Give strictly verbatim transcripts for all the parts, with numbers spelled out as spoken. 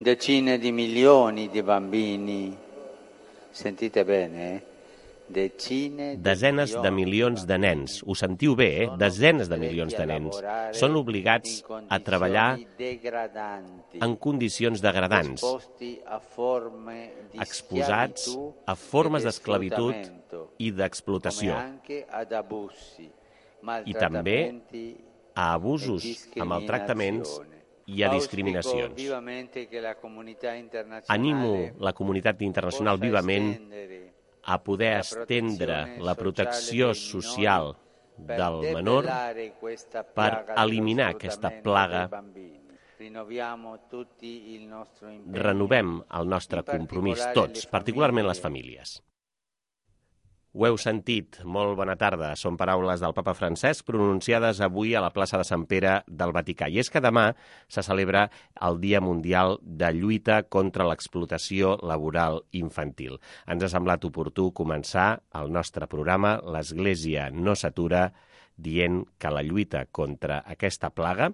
Decine di milioni di bambini, sentite bene, eh? Decine de Desenes de milions de nens, ho sentiu bé, eh? Desenes de milions de nens, són obligats a treballar en condicions degradants, exposats a formes d'esclavitud i d'explotació, i també a abusos, a maltractaments i a discriminacions. Animo la comunitat internacional vivament a poder estendre la protecció social del menor per eliminar aquesta plaga. Renovem el nostre compromís tots, particularment les famílies. Ho heu sentit, molt bona tarda. Són paraules del papa Francesc pronunciades avui a la plaça de Sant Pere del Vaticà. I és que demà se celebra el Dia Mundial de Lluita contra l'Explotació Laboral Infantil. Ens ha semblat oportú començar el nostre programa L'Església no s'atura, dient que la lluita contra aquesta plaga,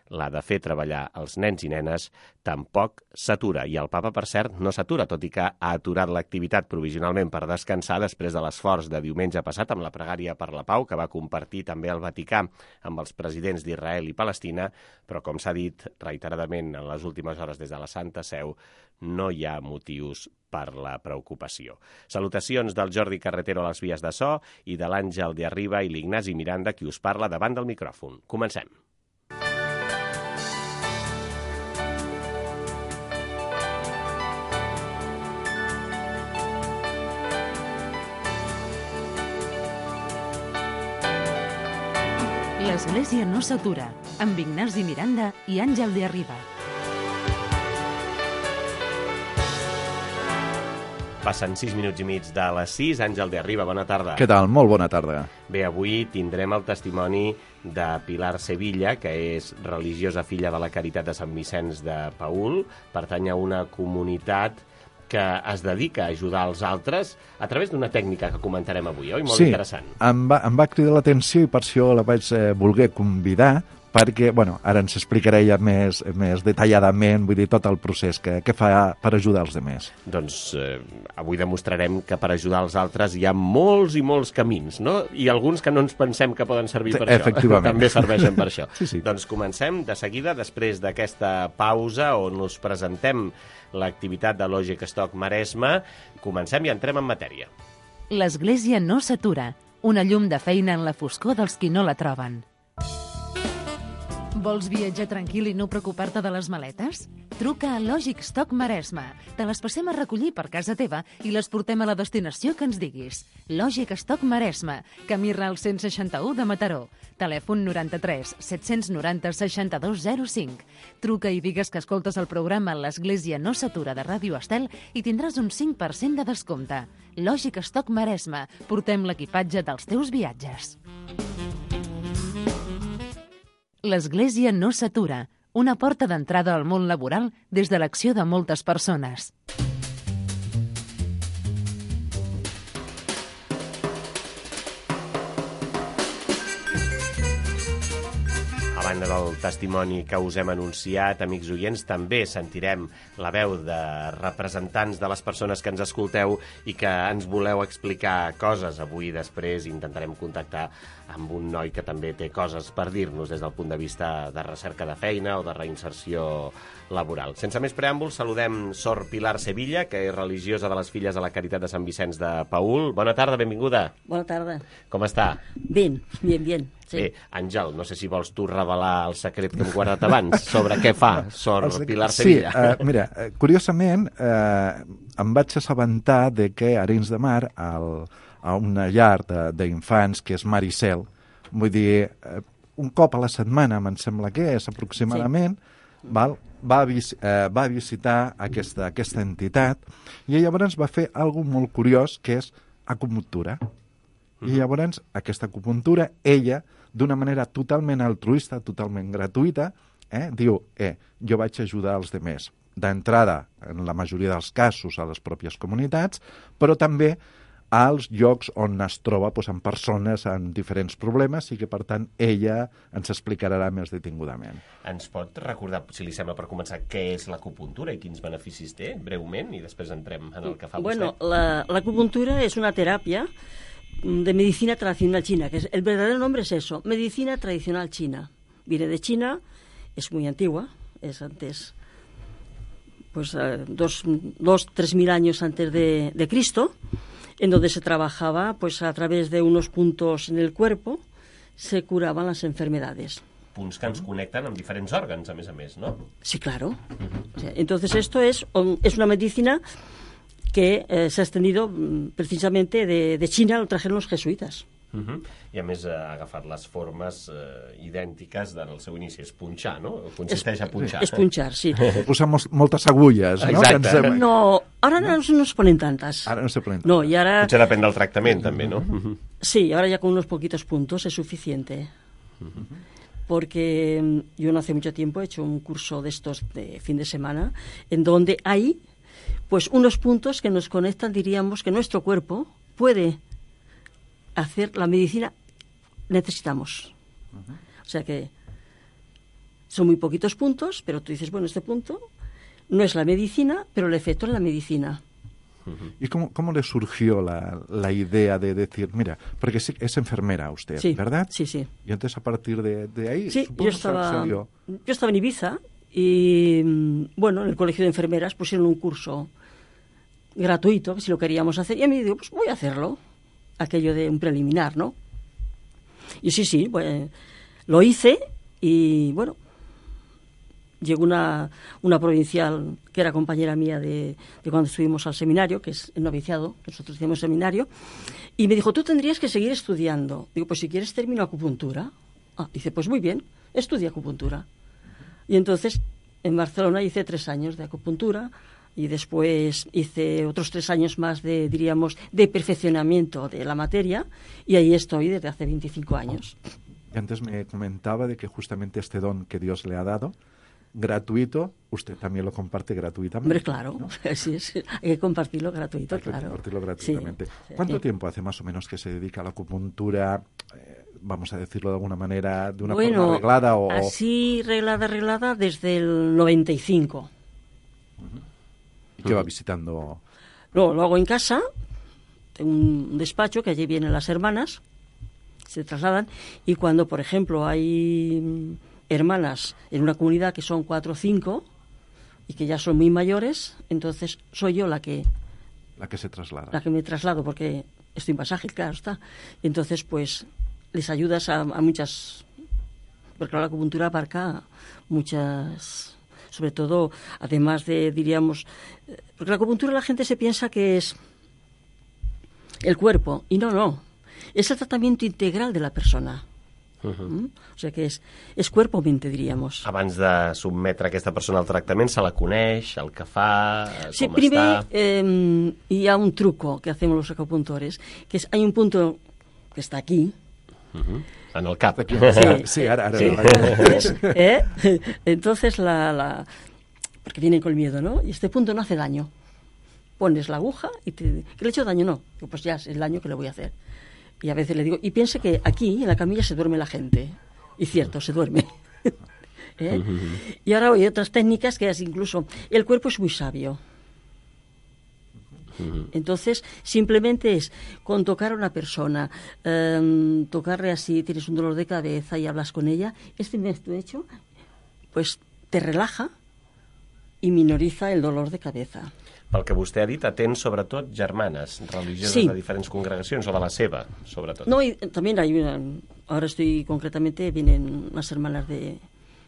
la de fer treballar els nens i nenes, tampoc s'atura. I el papa, per cert, no s'atura, tot i que ha aturat l'activitat provisionalment per descansar després de l'esforç de diumenge passat amb la pregària per la pau, que va compartir també el Vaticà amb els presidents d'Israel i Palestina, però, com s'ha dit reiteradament en les últimes hores des de la Santa Seu, no hi ha motius per la preocupació. Salutacions del Jordi Carretero a les vies de so i de l'Àngel de Arriba i l'Ignasi Miranda, qui us parla davant del micròfon. Comencem. L'Església no s'atura, amb Ignasi Miranda i Àngel de Arriba. Passen sis minuts i mig de les sis. Àngel de Arriba, bona tarda. Què tal? Molt bona tarda. Bé, avui tindrem el testimoni de Pilar Sevilla, que és religiosa filla de la Caritat de Sant Vicenç de Paül, pertany a una comunitat que es dedica a ajudar els altres a través d'una tècnica que comentarem avui, oi? Molt sí, interessant. Sí, em, va, em va cridar l'atenció i per això la vaig eh, voler convidar, perquè, bueno, ara ens explicaré ja més, més detalladament, vull dir, tot el procés que, que fa per ajudar els altres. Doncs eh, avui demostrarem que per ajudar els altres hi ha molts i molts camins, no? I alguns que no ens pensem que poden servir per això. També serveixen per això. Sí, sí. Doncs comencem de seguida, després d'aquesta pausa on us presentem l'activitat de Logic Stock Maresme. Comencem i entrem en matèria. L'Església no s'atura, una llum de feina en la foscor dels qui no la troben. Vols viatjar tranquil i no preocupar-te de les maletes? Truca a Logic Stock Maresme. Te les passem a recollir per casa teva i les portem a la destinació que ens diguis. Logic Stock Maresme, camí Ral cent seixanta-u de Mataró. Telèfon noranta-tres set-cents noranta seixanta-dos zero cinc. Truca i digues que escoltes el programa L'Església no s'atura de Ràdio Estel i tindràs un cinc per cent de descompte. Logic Stock Maresme. Portem l'equipatge dels teus viatges. L'Església no s'atura, una porta d'entrada al món laboral des de l'acció de moltes persones. A banda del testimoni que us hem anunciat, amics oients, també sentirem la veu de representants de les persones que ens escolteu i que ens voleu explicar coses. Avui després intentarem contactar amb un noi que també té coses per dir-nos des del punt de vista de recerca de feina o de reinserció laboral. Sense més preàmbuls, saludem Sor Pilar Sevilla, que és religiosa de les filles de la Caritat de Sant Vicenç de Paül. Bona tarda, benvinguda. Bona tarda. Com està? Bien, bien, bien. Sí. Bé, Àngel, no sé si vols tu revelar el secret que hem guardat abans sobre què fa Sor Pilar Sevilla. Sí, uh, mira, curiosament, uh, em vaig assabentar de que a Arenys de Mar, al, a una llar d'infants que és Maricel, vull dir, uh, un cop a la setmana, me'n sembla que és aproximadament, sí. val, va, vis, uh, va visitar aquesta, aquesta entitat i llavors va fer alguna molt curiós, que és acupuntura. I llavors, aquesta acupuntura, ella, d'una manera totalment altruista, totalment gratuïta, eh, diu, eh, jo vaig ajudar els altres. D'entrada, en la majoria dels casos, a les pròpies comunitats, però també als llocs on es troba doncs, amb persones amb diferents problemes i que, per tant, ella ens explicarà més detingudament. Ens pot recordar, si li sembla, per començar, què és l'acupuntura i quins beneficis té, breument, i després entrem en el que fa bueno, vostè? La, la acupuntura es una terapia de medicina tradicional china, que es, el verdadero nombre es eso, medicina tradicional china. Viene de China, es muy antigua, es antes, pues uh, dos, dos, tres mil años antes de, de Cristo, en donde se trabajaba, pues a través de unos puntos en el cuerpo, se curaban las enfermedades. Punts que ens connecten amb diferents òrgans, a més a més, no? Sí, claro. O sea, entonces esto es, es una medicina que eh, se ha extendido precisamente de, de China, lo trajeron los jesuitas. Uh -huh. I a més ha agafat les formes eh, idèntiques del seu inici, és punxar, no? Consisteix a punxar. Es punxar, sí. Posamos moltes agulles, no? Exacte. Ens... No, ahora no, no se ponen tantas. Ara no se ponen No, y ahora... Potser depèn del tractament, també, no? Uh -huh. Sí, ahora ya con unos poquitos puntos es suficiente. Uh -huh. Porque yo no hace mucho tiempo he hecho un curso de estos de fin de semana, en donde hay pues unos puntos que nos conectan, diríamos, que nuestro cuerpo puede hacer la medicina necesitamos. Uh-huh. O sea que son muy poquitos puntos, pero tú dices, bueno, este punto no es la medicina, pero el efecto es la medicina. Uh-huh. ¿Y cómo, cómo le surgió la, la idea de decir, mira, porque es enfermera usted, sí, ¿verdad? Sí, sí. Y entonces a partir de, de ahí... Sí, yo estaba, yo estaba en Ibiza y, bueno, en el colegio de enfermeras pusieron un curso gratuito, que si lo queríamos hacer, y a mí digo, pues voy a hacerlo, aquello de un preliminar, ¿no? Y sí, sí, pues, lo hice y, bueno, llegó una, una provincial que era compañera mía de, de cuando estuvimos al seminario, que es el noviciado, nosotros hacíamos seminario, y me dijo, tú tendrías que seguir estudiando. Digo, pues si quieres termino acupuntura. Ah, dice, pues muy bien, estudia acupuntura. Y entonces en Barcelona hice tres años de acupuntura y después hice otros tres años más de, diríamos, de perfeccionamiento de la materia, y ahí estoy desde hace veinticinco años. Y antes me comentaba de que justamente este don que Dios le ha dado, gratuito, usted también lo comparte gratuitamente. Hombre, claro, ¿no? Así es, hay que compartirlo gratuito, hay que claro. compartirlo gratuitamente. Sí, ¿Cuánto sí. tiempo hace más o menos que se dedica a la acupuntura, eh, vamos a decirlo de alguna manera, de una bueno, forma reglada? O... así reglada, reglada, desde el noventa y cinco. Uh-huh. ¿Y qué va visitando? No, lo hago en casa, tengo un despacho que allí vienen las hermanas, se trasladan, y cuando, por ejemplo, hay hermanas en una comunidad que son cuatro o cinco y que ya son muy mayores, entonces soy yo la que la que se traslada, la que me traslado, porque estoy en pasaje, claro está. Entonces, pues les ayudas a, a muchas, porque la acupuntura abarca muchas, sobre todo, además de, diríamos, porque la acupuntura la gente se piensa que es el cuerpo, y no, no, es el tratamiento integral de la persona. Uh-huh. Mm? O sigui que és, és cuerpo-mente, diríamos. Abans de sotmetre aquesta persona al tractament, se la coneix, el que fa, sí, com primer, està... Eh, hi ha un truco que hacemos los acupuntores, que es, hay un punto que está aquí. Uh-huh. En el cap. Sí, sí ara, ara. Sí. Entonces, ¿eh? Entonces la, la... porque vienen con miedo, ¿no? Y este punto no hace daño. Pones la aguja y te... ¿Que le he hecho daño? No. Digo, pues ya es el daño que le voy a hacer. Y a veces le digo, y piense que aquí, en la camilla, se duerme la gente. Y cierto, se duerme. ¿Eh? Uh-huh. Y ahora hay otras técnicas que es incluso... El cuerpo es muy sabio. Uh-huh. Entonces, simplemente es con tocar a una persona, um, tocarle así, tienes un dolor de cabeza y hablas con ella, este método hecho, pues te relaja y minoriza el dolor de cabeza. Pel que vostè ha dit, atén sobretot germanes religioses sí. de diferents congregacions, o de la seva, sobretot. No, y también hay una, ahora estoy concretamente, vienen unas hermanas de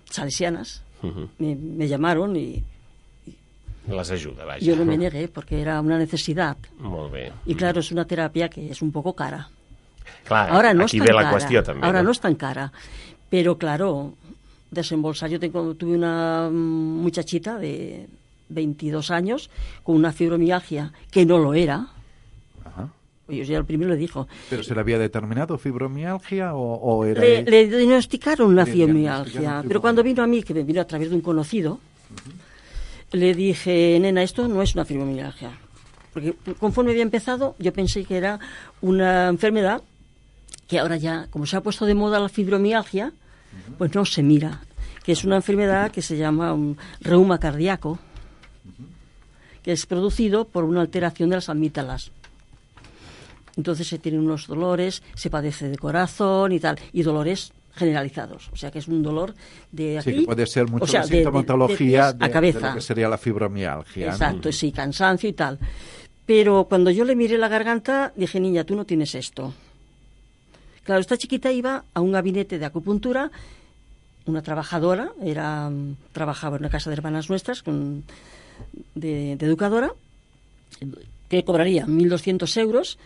salesianas, uh-huh. me, me llamaron y, y... Les ajuda, vaja. Yo no me negué porque era una necesidad. Molt bé. Y claro, es una terapia que es un poco cara. Clar, ahora no aquí es tan ve la cara, qüestió també. Ahora no? no es tan cara, pero claro, desembolsar, yo tengo, tuve una muchachita de veintidós años con una fibromialgia que no lo era. Ajá. Yo ya el primero le dijo. ¿Pero se le había determinado fibromialgia o, o era...? Le, le diagnosticaron una le fibromialgia, diagnosticaron pero cuando vino a mí, que me vino a través de un conocido, uh-huh. le dije, nena, esto no es una fibromialgia. Porque conforme había empezado, yo pensé que era una enfermedad que ahora ya, como se ha puesto de moda la fibromialgia, pues no se mira, que es una enfermedad que se llama un reuma cardíaco, que es producido por una alteración de las amígdalas. Entonces se tienen unos dolores, se padece de corazón y tal, y dolores generalizados. O sea que es un dolor de aquí... Sí, que puede ser mucho o sea, la sintomatología de, de, de, a cabeza. de lo que sería la fibromialgia. Exacto, ¿no? Sí, cansancio y tal. Pero cuando yo le miré la garganta, dije, niña, tú no tienes esto. Claro, esta chiquita iba a un gabinete de acupuntura, una trabajadora, era trabajaba en una casa de hermanas nuestras, con, de, de educadora, que cobraría mil doscientos euros,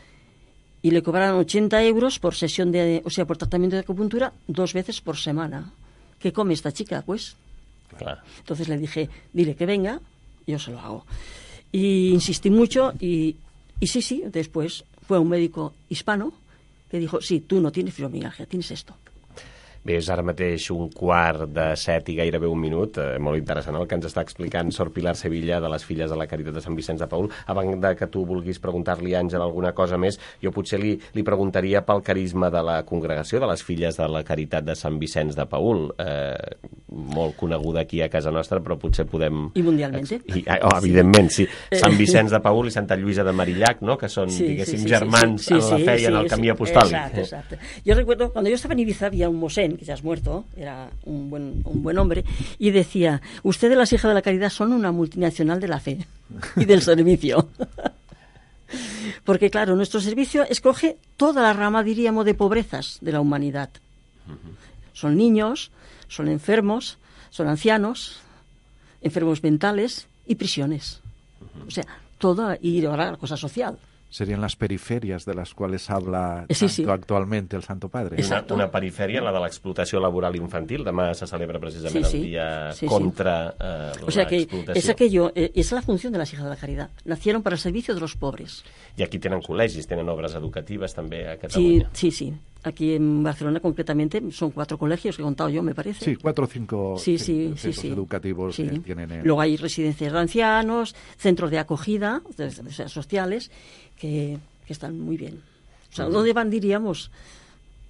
y le cobraron ochenta euros por sesión de, o sea, por tratamiento de acupuntura dos veces por semana. ¿Qué come esta chica? Pues. Claro. Entonces le dije, dile que venga, yo se lo hago. Y insistí mucho y, y sí, sí, después fue un médico hispano que dijo, sí, tú no tienes fibromialgia, tienes esto. Bé, és ara mateix un quart de set i gairebé un minut. Eh, molt interessant el que ens està explicant Sor Pilar Sevilla de les Filles de la Caritat de Sant Vicenç de Paül. Abans de que tu vulguis preguntar-li, Àngel, alguna cosa més, jo potser li, li preguntaria pel carisma de la congregació de les Filles de la Caritat de Sant Vicenç de Paül. Eh, molt coneguda aquí a casa nostra, però potser podem... I mundialment. I, oh, evidentment, sí. Sant Vicenç de Paül i Santa Lluïsa de Marillac, ¿no? Que son, sí, diguéssim, sí, sí, germans sí, sí, en la fe sí, y en el sí, camí sí, apostòlic. Exacto, exacto. Yo recuerdo, cuando yo estaba en Ibiza, había un mosén, que ya es muerto, era un buen, un buen hombre, y decía, ustedes las hijas de la caridad son una multinacional de la fe y del servicio. Porque claro, nuestro servicio escoge toda la rama, diríamos, de pobrezas de la humanidad. Son niños, son enfermos, son ancianos, enfermos mentales y prisiones. O sea, toda, y ahora la cosa social. Serían las periferias de las cuales habla sí, sí. actualmente el Santo Padre. Una, una perifèria, la de l'explotació laboral infantil. Demà se celebra precisament sí, sí. el dia sí, contra sí. eh, o sea que l'explotació. Es aquello, eh, es la función de las hijas de la caridad. Nacieron para el servicio de los pobres. I aquí tenen col·legis, tenen obres educatives també a Sí, Catalunya. sí, sí. Aquí en Barcelona concretamente son cuatro colegios que he contado yo, me parece. Sí, cuatro o cinco sí, sí, centros sí, sí. educativos sí. que tienen. En... Luego hay residencias de ancianos, centros de acogida, de, de, de, sociales, que, que están muy bien. O sea, ¿dónde van, diríamos?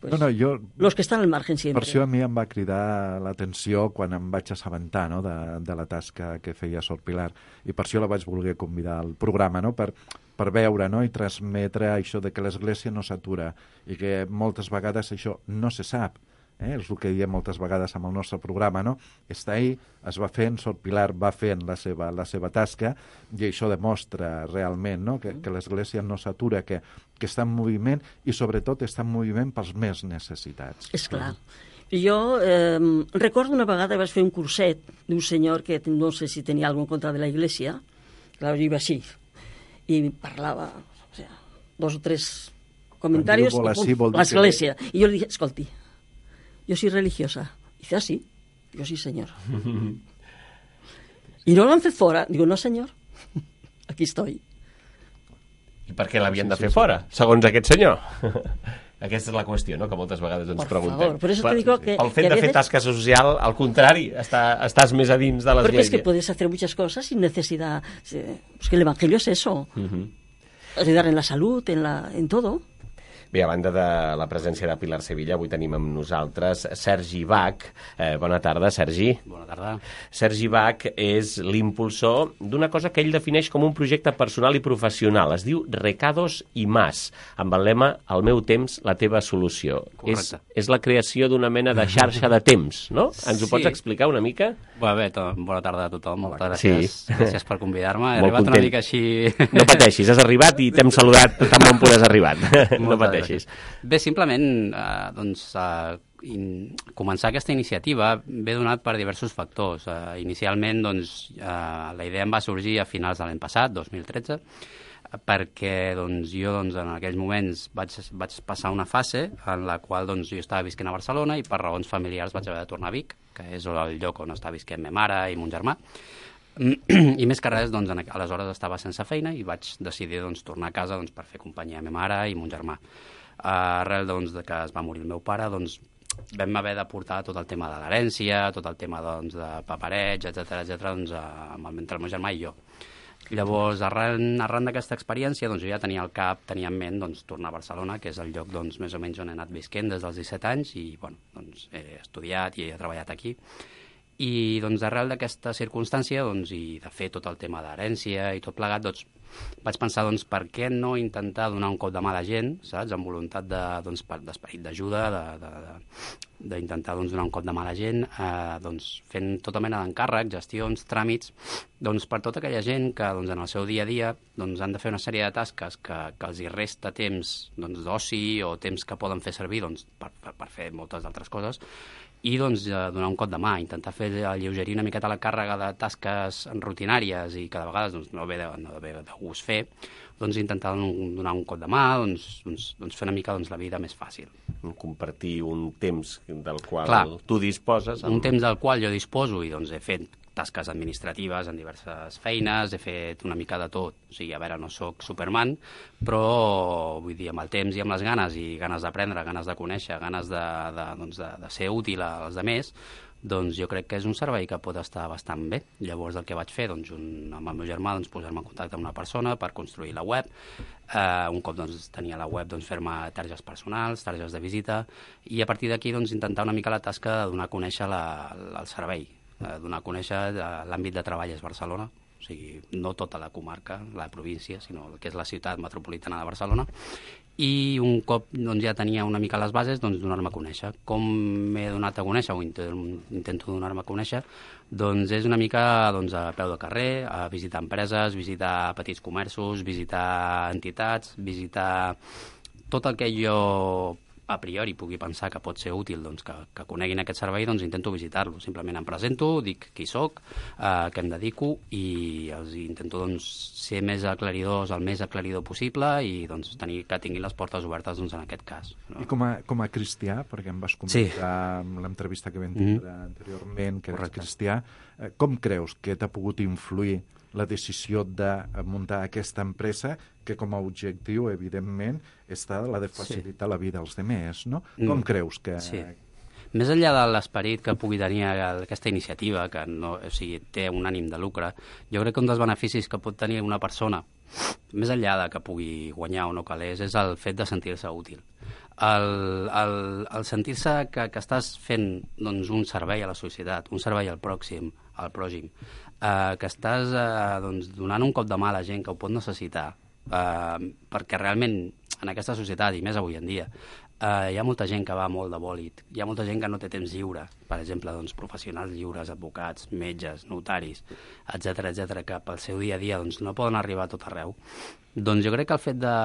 Pues, no, no, jo, los que estan al margen sempre. Per això a mi em va cridar l'atenció quan em vaig assabentar, no?, de, de la tasca que feia Sor Pilar, i per això la vaig voler convidar al programa, no?, per, per veure, no?, i transmetre això de que l'Església no s'atura i que moltes vegades això no se sap. Eh? És el que diem moltes vegades amb el nostre programa, no? Està ahí, es va fent, Sor Pilar va fent la seva, la seva tasca, i això demostra realment, no?, que, que l'Església no s'atura, que, que està en moviment i sobretot està en moviment pels més necessitats. És clar. Jo eh, recordo una vegada vaig fer un curset d'un senyor que no sé si tenia alguna contra de la Iglesia, clar, jo iba així, i parlava, o sea, dos o tres comentaris, l'Església, i jo li dije, escolti, yo soy religiosa. Dice, ah, sí. Yo sí, señor. ¿Y no l'han fet fora? Digo, no, senyor. Aquí estoy. I per què l'havien sí, de fer sí, fora, sí. segons aquest senyor? Aquesta és la qüestió, no?, que moltes vegades ens por preguntem. Favor, por eso te digo que, el fet que de fer veces... tasca social, al contrari, està, estàs més a dins de l'església. Porque es que puedes hacer muchas cosas sin necesidad. Pues que el Evangelio es eso. Uh-huh. Ayudar en la salud, en, la, en todo. Bé, a banda de la presència de Pilar Sevilla, avui tenim amb nosaltres Sergi Bach. Eh, bona tarda, Sergi. Bona tarda. Sergi Bach és l'impulsor d'una cosa que ell defineix com un projecte personal i professional. Es diu Recados i Más, amb el lema El meu temps, la teva solució. És, és la creació d'una mena de xarxa de temps, no? Ens ho sí. pots explicar una mica? Bé, bé, to, bona tarda a tothom. Moltes gràcies. Sí. Gràcies per convidar-me. He Molt arribat content. Una mica així... No pateixis, has arribat i t'hem saludat tan bon punt has arribat. No pateixis. Bé, simplement, eh, doncs, eh, in, començar aquesta iniciativa ve donat per diversos factors. Eh, inicialment, doncs, eh, la idea em va sorgir a finals de l'any passat, dos mil tretze, perquè doncs, jo doncs, en aquells moments vaig, vaig passar una fase en la qual doncs, jo estava visquent a Barcelona i per raons familiars vaig haver de tornar a Vic, que és el lloc on està visquent ma mare i mon germà. I més que res, doncs, aleshores estava sense feina i vaig decidir doncs, tornar a casa doncs, per fer companyia a ma mare i mon germà. Arrel doncs, de que es va morir el meu pare, doncs, vam haver de portar tot el tema de l'herència, tot el tema doncs, de papereig, etcètera, etcètera, doncs, amb el, entre el meu germà i jo. Llavors, arran, arran d'aquesta experiència, doncs, jo ja tenia al cap, tenia en ment doncs, tornar a Barcelona, que és el lloc doncs, més o menys on he anat visquent des dels disset anys, i bueno, doncs, he estudiat i he treballat aquí. I doncs, arrel d'aquesta circumstància doncs, i de fer tot el tema d'herència i tot plegat, doncs, vaig pensar, doncs, per què no intentar donar un cop de mà a la gent, saps? Amb voluntat de, doncs, d'esperit d'ajuda, d'intentar doncs, donar un cop de mà a la gent, eh, doncs, fent tota mena d'encàrrecs, gestions, tràmits, doncs, per tota aquella gent que doncs, en el seu dia a dia doncs, han de fer una sèrie de tasques que, que els hi resta temps doncs, d'oci o temps que poden fer servir doncs, per, per, per fer moltes altres coses, i doncs, donar un cop de mà, intentar fer alleugerir una miqueta la càrrega de tasques rutinàries i que de vegades doncs, no ve de, no ve de gust fer, doncs intentar donar un cop de mà, doncs, doncs, doncs fer una mica doncs, la vida més fàcil. Compartir un temps del qual Clar, tu disposes. Amb... Un temps del qual jo disposo i doncs he fet tasques administratives en diverses feines, he fet una mica de tot. O sigui, a veure, no sóc Superman, però vull dir, amb el temps i amb les ganes, i ganes d'aprendre, ganes de conèixer, ganes de, de, doncs de, de ser útil als altres, doncs jo crec que és un servei que pot estar bastant bé. Llavors el que vaig fer, doncs, un, amb el meu germà, doncs, posar-me en contacte amb una persona per construir la web. Eh, un cop doncs, tenia la web, doncs, fer-me targes personals, targes de visita, i a partir d'aquí doncs, intentar una mica la tasca de donar a conèixer la, el servei, eh, donar a conèixer l'àmbit de treball és Barcelona, o sigui, no tota la comarca, la província, sinó el que és la ciutat metropolitana de Barcelona. I un cop doncs, ja tenia una mica les bases, doncs donar-me a conèixer. Com m'he donat a conèixer, o intento donar-me a conèixer, doncs és una mica doncs, a peu de carrer, a visitar empreses, visitar petits comerços, visitar entitats, visitar tot el que jo a priori pugui pensar que pot ser útil doncs, que, que coneguin aquest servei, doncs intento visitar-lo. Simplement em presento, dic qui soc, eh, què em dedico, i els intento doncs, ser més aclaridors, el més aclaridor possible, i doncs, tenir, que tinguin les portes obertes doncs, en aquest cas. No? I com a, com a cristià, perquè em vas comentar sí. amb l'entrevista que vam tindre mm. anteriorment, que eres cristià, eh, com creus que t'ha pogut influir la decisió de muntar aquesta empresa que com a objectiu, evidentment, està la de facilitar sí. la vida als demés, no? Mm. Com creus que... Sí. Més enllà de l'esperit que pugui tenir aquesta iniciativa, que no, o sigui, té un ànim de lucre, jo crec que un dels beneficis que pot tenir una persona, més enllà de que pugui guanyar o no calés, és el fet de sentir-se útil. El, el, el sentir-se que, que estàs fent doncs, un servei a la societat, un servei al pròxim, al pròxim, eh, que estàs eh, doncs, donant un cop de mà a la gent que ho pot necessitar, eh, perquè realment en aquesta societat, i més avui en dia, Uh, hi ha molta gent que va molt de bòlit, hi ha molta gent que no té temps lliure, per exemple, doncs, professionals lliures, advocats, metges, notaris, etcètera, etcètera, que pel seu dia a dia doncs, no poden arribar a tot arreu. Doncs jo crec que el fet de,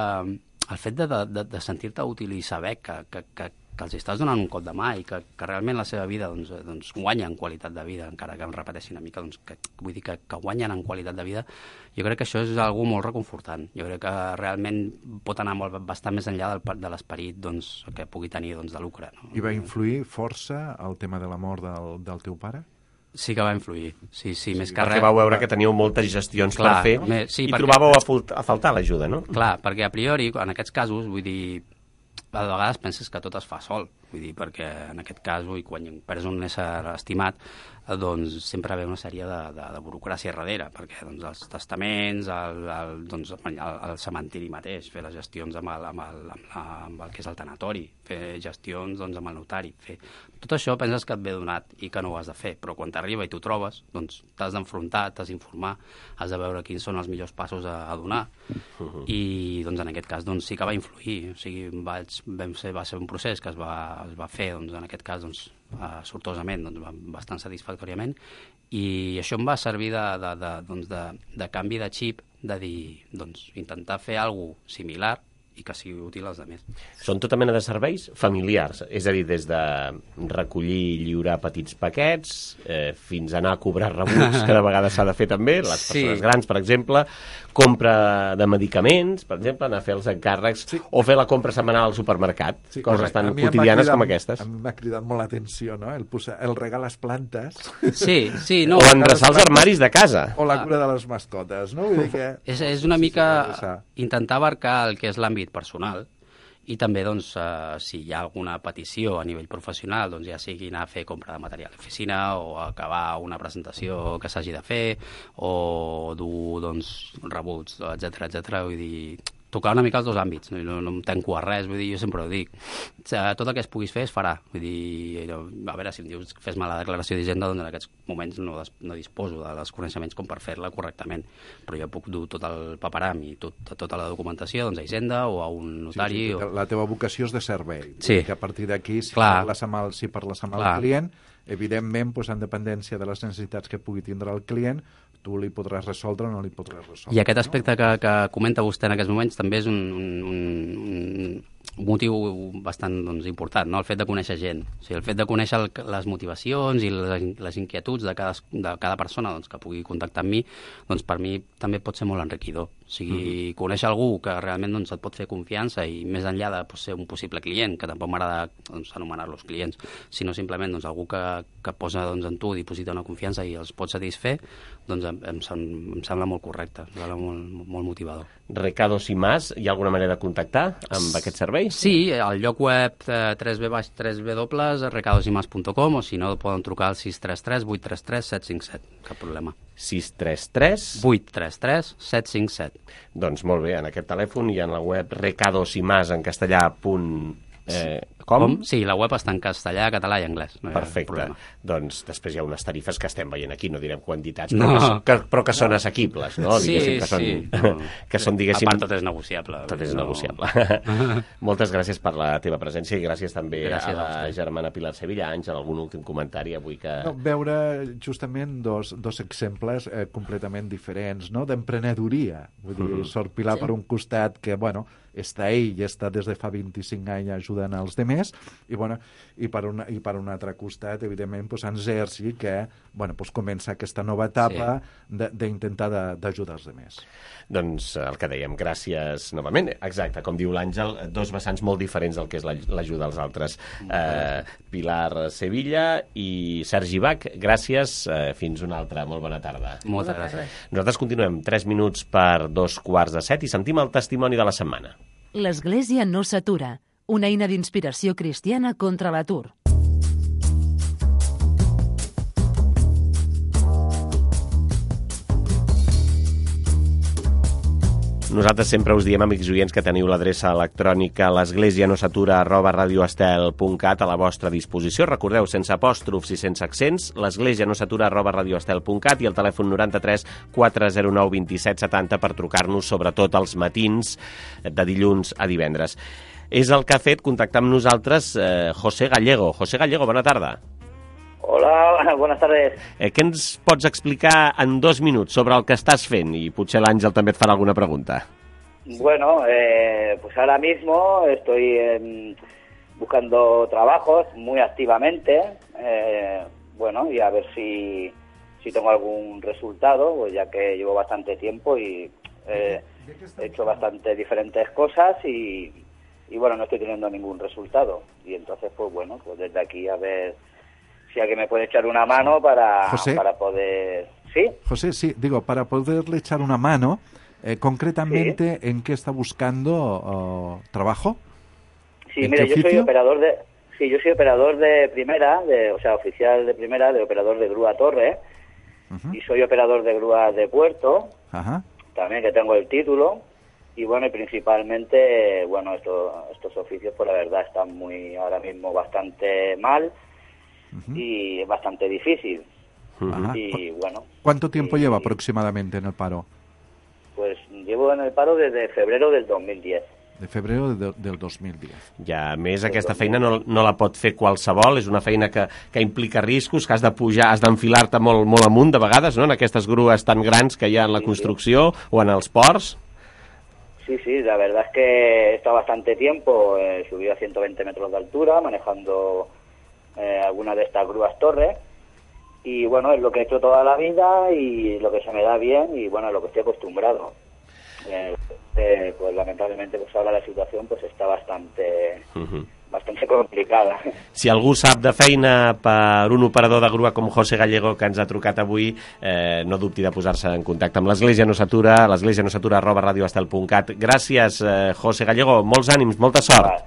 el fet de, de, de sentir-te útil i saber que, que, que, que els estàs donant un cop de mà i que, que realment la seva vida doncs, doncs, guanya en qualitat de vida, encara que em repeteixi una mica, doncs, que, vull dir que, que guanyen en qualitat de vida, jo crec que això és algo molt reconfortant. Jo crec que realment pot anar molt, bastant més enllà del, de l'esperit doncs, que pugui tenir doncs, de lucre. No? I va influir força el tema de la mort del, del teu pare? Sí que va influir, sí, sí, sí més que res. Perquè vau veure que teníeu moltes gestions clar, per fer me, sí, i perquè... trobàveu a, a faltar l'ajuda, no? Clar, perquè a priori, en aquests casos, vull dir, a vegades penses que tot es fa sol, vull dir, perquè en aquest cas, ui, quan perds un ésser estimat, doncs sempre ve una sèrie de, de, de burocràcia darrere, perquè doncs, els testaments, el, el, doncs, el, el cementiri mateix, fer les gestions amb el, amb el, amb la, amb el que és el tanatori, fer gestions doncs, amb el notari, fer... Tot això penses que et ve donat i que no ho has de fer, però quan t'arriba i t'ho trobes, doncs t'has d'enfrontar, t'has d'informar, has de veure quins són els millors passos a, a donar, uh-huh. i doncs, en aquest cas doncs, sí que va influir, o sigui, vaig, vam ser, va ser un procés que es va, es va fer, doncs, en aquest cas, doncs, Uh, sortosament, doncs, bastant satisfactòriament, i això em va servir de, de, de, doncs de, de canvi de xip, de dir, doncs, intentar fer alguna cosa similar i que sigui útil als altres. Són tota mena de serveis familiars, és a dir, des de recollir i lliurar petits paquets eh, fins a anar a cobrar rebuts, que de vegades s'ha de fer també, les persones sí. grans, per exemple, compra de medicaments, per exemple, anar a fer els encàrrecs, sí. o fer la compra setmanal al supermercat, sí, coses tan quotidianes cridat, com aquestes. A mi m'ha cridat molt l'atenció, no?, el, posar, el regar les plantes. Sí, sí, no. O endreçar els armaris de casa. O la cura de les mascotes, no? Vull dir que... És, és una mica intentar abarcar el que és l'àmbit personal I també, doncs, eh, si hi ha alguna petició a nivell professional, doncs ja sigui anar a fer compra de material d'oficina o acabar una presentació que s'hagi de fer o dur, doncs, rebuts, etcètera, etcètera. Vull dir, tocar una mica els dos àmbits, no, no em tanco a res, vull dir, jo sempre ho dic. Tot el que es puguis fer es farà. Vull dir, a veure, si em dius fes-me la declaració d'Hisenda, doncs en aquests moments no, des, no disposo dels coneixements com per fer-la correctament, però jo puc dur tot el paperam i tot, tota la documentació doncs, a Hisenda o a un notari. Sí, sí, o... La teva vocació és de servei. Sí. Que a partir d'aquí, si Clar. parles amb el, si parles amb el Clar. client, evidentment, doncs, en dependència de les necessitats que pugui tindre el client, tu li podràs resoldre o no li podràs resoldre. I aquest aspecte no? que, que comenta vostè en aquests moments també és un, un, un, un motiu bastant doncs, important, no? El fet de conèixer gent. O sigui, el fet de conèixer el, les motivacions i les, les inquietuds de cada, de cada persona doncs, que pugui contactar amb mi, doncs per mi també pot ser molt enriquidor. O sigui, mm-hmm. conèixer algú que realment doncs, et pot fer confiança i més enllà de pues, ser un possible client, que tampoc m'agrada doncs, anomenar-los clients, sinó simplement doncs, algú que, que posa doncs, en tu, diposita una confiança i els pot satisfer, doncs em, em, em sembla molt correcte, em sembla molt, molt motivador. Recados i Mas, hi ha alguna manera de contactar amb aquest servei? Sí, al lloc web eh, w w w punt recados i mas punt com o si no poden trucar al sis tres tres vuit tres tres set cinc set, cap problema. sis tres tres vuit tres tres set cinc set. Doncs molt bé, en aquest telèfon i en la web recadosimas en castellà punt eh, com? com? Sí, la web està en castellà, català i anglès. No Perfecte. Doncs després hi ha unes tarifes que estem veient aquí, no direm quantitats, però, no. que, que, però que són assequibles, no? Sí, que són, sí. que són, diguéssim... A part, tot és negociable. Tot és no. negociable. Moltes gràcies per la teva presència i gràcies també gràcies a la a germana Pilar Sevilla. Àngel, algun últim comentari avui que... No, veure justament dos, dos exemples eh, completament diferents, no?, d'emprenedoria. Vull dir, mm-hmm. Sor Pilar sí. per un costat que, bueno, està ell i està des de fa vint-i-cinc anys ajudant als demés, i, bueno, i, per, una, i per un altre costat, evidentment, pues, en Sergi, que bueno, pues, comença aquesta nova etapa sí. d'intentar d'ajudar els demés. Doncs el que dèiem, gràcies novament. Exacte, com diu l'Àngel, dos vessants molt diferents del que és l'ajuda als altres. Eh, Pilar Sevilla i Sergi Bach, gràcies. Eh, fins una altra. Molt bona tarda. Moltes gràcies. Nosaltres continuem tres minuts per dos quarts de set i sentim el testimoni de la setmana. L'Església no s'atura. Una eina d'inspiració cristiana contra l'atur. Nosaltres sempre us diem, amics oients, que teniu l'adreça electrònica l'esglésianosatura arroba radioestel punt cat a la vostra disposició. Recordeu, sense apòstrofs i sense accents, l'esglésianosatura arroba radioestel punt cat i el telèfon noranta-tres quatre zero nou vint set setanta per trucar-nos, sobretot els matins de dilluns a divendres. És el que ha fet contactar amb nosaltres eh, José Gallego. José Gallego, bona tarda. Hola, buenas tardes. Eh, què ens pots explicar en dos minuts sobre el que estàs fent? I potser l'Àngel també et farà alguna pregunta. Bueno, eh, pues ahora mismo estoy eh, buscando trabajos muy activamente, eh, bueno, y a ver si, si tengo algún resultado, pues ya que llevo bastante tiempo y eh, he hecho bastante diferentes cosas y, y bueno, no estoy teniendo ningún resultado. Y entonces, pues bueno, pues desde aquí a ver si alguien me puede echar una mano para, para poder... ¿Sí? José, sí, digo, para poderle echar una mano, eh, concretamente, ¿sí? ¿En qué está buscando uh, trabajo? Sí, mire, yo soy operador de... Sí, yo soy operador de primera, de, o sea, oficial de primera, de operador de grúa torre, uh-huh. Y soy operador de grúa de puerto, uh-huh. También que tengo el título, y bueno, y principalmente, bueno, esto, estos oficios, pues la verdad, están muy, ahora mismo bastante mal, Uh-huh. y es bastante difícil. Uh-huh. Y bueno. ¿Cuánto tiempo y, lleva aproximadamente en el paro? Pues llevo en el paro desde febrero del dos mil diez. De febrero de, del dos mil diez. Ja, a més, aquesta feina no, no la pot fer qualsevol, és una feina que, que implica riscos, que has de pujar, has d'enfilar-te molt, molt amunt de vegades, no?, en aquestes grues tan grans que hi ha en la sí, construcció sí. o en els ports. Sí, sí, la verdad es que he estado bastante tiempo, he subido a ciento veinte metros de altura, manejando Eh, algunas de estas grúas torres, y bueno, es lo que he hecho toda la vida y lo que se me da bien y bueno, lo que estoy acostumbrado. Eh, eh, pues lamentablemente pues ahora la situación pues está bastante uh-huh. bastante complicada. Si algú sap de feina per un operador de grua com José Gallego, que ens ha trucat avui, eh, no dubti de posar-se en contacte amb l'Església No s'atura, l'església no s'atura arroba radioestel punt cat. Gràcies, eh, José Gallego, molts ànims, molta sort. Vale,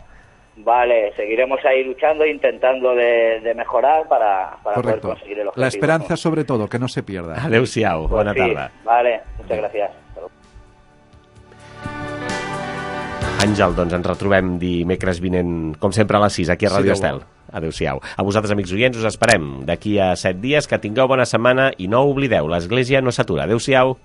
vale. Seguiremos ahí luchando, intentando de, de mejorar para, para poder conseguir el objetivo. La esperanza, ¿no? Sobre todo, que no se pierda. Adéu-siau, pues bona sí. tarda. Vale, muchas gracias. Àngel, doncs ens retrobem dimecres vinent, com sempre, a les sis, aquí a Ràdio Estel. Adéu-siau. A vosaltres, amics oients, us esperem d'aquí a set dies. Que tingueu bona setmana i no oblideu, l'Església no s'atura. Adéu-siau.